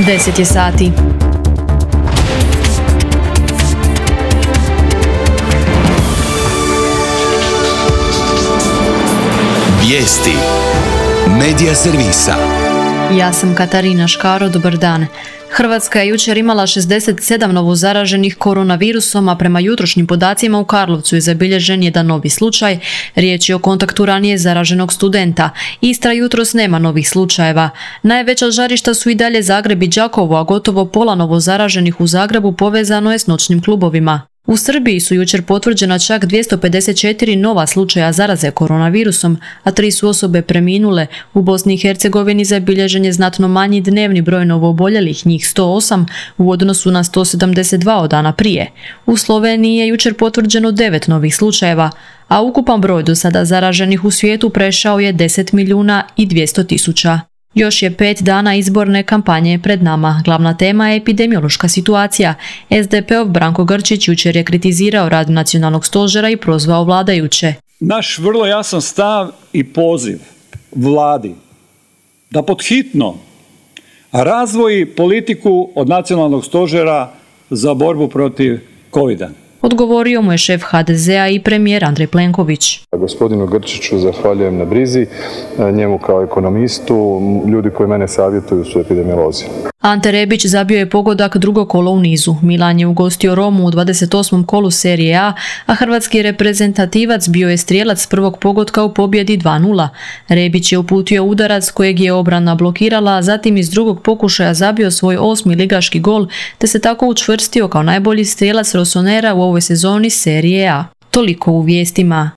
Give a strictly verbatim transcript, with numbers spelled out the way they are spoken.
deset je sati. Vijesti Medija servisa. Ja sam Katarina Škaro, dobar dan. Hrvatska je jučer imala šezdeset sedam novozaraženih koronavirusom, a prema jutrošnjim podacima u Karlovcu je zabilježen jedan novi slučaj. Riječ je o kontaktu ranije zaraženog studenta. Istra jutros nema novih slučajeva. Najveća žarišta su i dalje Zagreb i Đakovo, a gotovo pola novozaraženih u Zagrebu povezano je s noćnim klubovima. U Srbiji su jučer potvrđena čak dvjesto pedeset četiri nova slučaja zaraze koronavirusom, a tri su osobe preminule. U Bosni i Hercegovini zabilježen je znatno manji dnevni broj novooboljelih, njih sto osam, u odnosu na sto sedamdeset dva od dana prije. U Sloveniji je jučer potvrđeno devet novih slučajeva, a ukupan broj do sada zaraženih u svijetu prešao je deset milijuna i dvjesto tisuća. Još je pet dana izborne kampanje pred nama. Glavna tema je epidemiološka situacija. es de pe ov Branko Grčić jučer je kritizirao rad nacionalnog stožera i prozvao vladajuće. Naš vrlo jasan stav i poziv vladi da podhitno razvoji politiku od nacionalnog stožera za borbu protiv covida. Odgovorio mu je šef ha de zea i premijer Andrej Plenković. Gospodinu Grčiću zahvaljujem na brizi, njemu kao ekonomistu, ljudi koji mene savjetuju su epidemiolozi. Ante Rebić zabio je pogodak drugo kolo u nizu. Milan je ugostio Romu u dvadeset osmom kolu serije A, a hrvatski reprezentativac bio je strijelac prvog pogotka u pobjedi dva nula. Rebić je uputio udarac kojeg je obrana blokirala, a zatim iz drugog pokušaja zabio svoj osmi ligaški gol, te se tako učvrstio kao najbolji strijelac Rossonera u ovoj sezoni serije A. Toliko u vijestima.